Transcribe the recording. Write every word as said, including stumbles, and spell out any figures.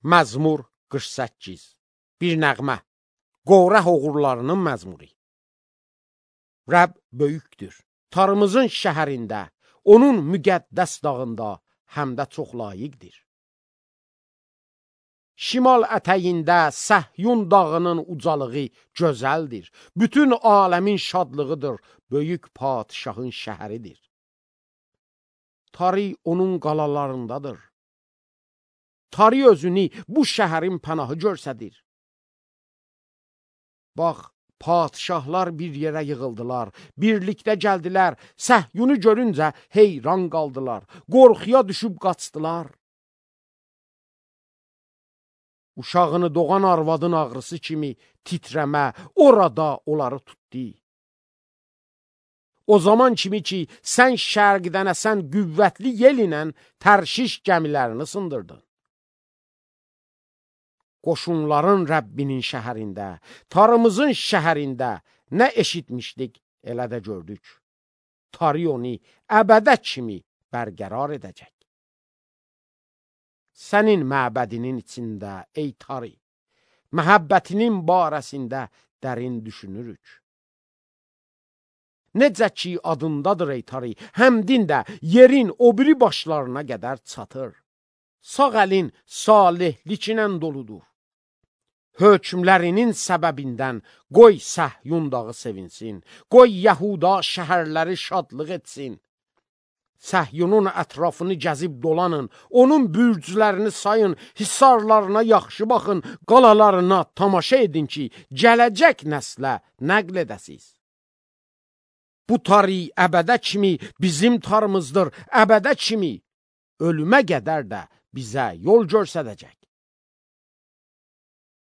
Məzmur qırx səkkiz. Bir nəğmə. Qorah oğullarının məzmuri. Rəbb böyükdür. Tarımızın şəhərində, onun müqəddəs dağında həm də çox layiqdir. Şimal ətəyində Səhyun dağının ucalığı gözəldir. Bütün aləmin şadlığıdır. Böyük padişahın şəhəridir. Tarı onun qalalarındadır. Tarı özünü bu şəhərin pənahı görsədir. Bax, padişahlar bir yerə yığıldılar, birlikdə gəldilər, Səhyunu görüncə heyran qaldılar, qorxuya düşüb qaçdılar. Uşağını doğan arvadın ağrısı kimi titrəmə orada onları tutdu. O zaman kimi ki, sən şərqdən əsən qüvvətli yel ilə Tərşiş gəmilərini sındırdın. Qoşunların Rəbbinin şəhərində, tarımızın şəhərində nə eşitmişdik, elə də gördük. Tarı onu əbədə kimi bərqərar edəcək. Sənin məbədinin içində, ey tarı, məhəbbətinin barəsində dərin düşünürük. Necə ki adındadır ey tarı, həmdin də yerin o biri başlarına qədər çatır. Sağ əlin salihliklə doludur. Hökmlərinin səbəbindən qoy Səhyun dağı sevinsin, qoy Yəhuda şəhərləri şadlıq etsin. Səhyunun ətrafını gəzib dolanın, onun bürclərini sayın, hisarlarına yaxşı baxın, qalalarına tamaşa edin ki, gələcək nəslə nəql edəsiz. Bu tarı əbədə kimi bizim tarımızdır, əbədə kimi ölümə qədər də bizə yol göstərəcək.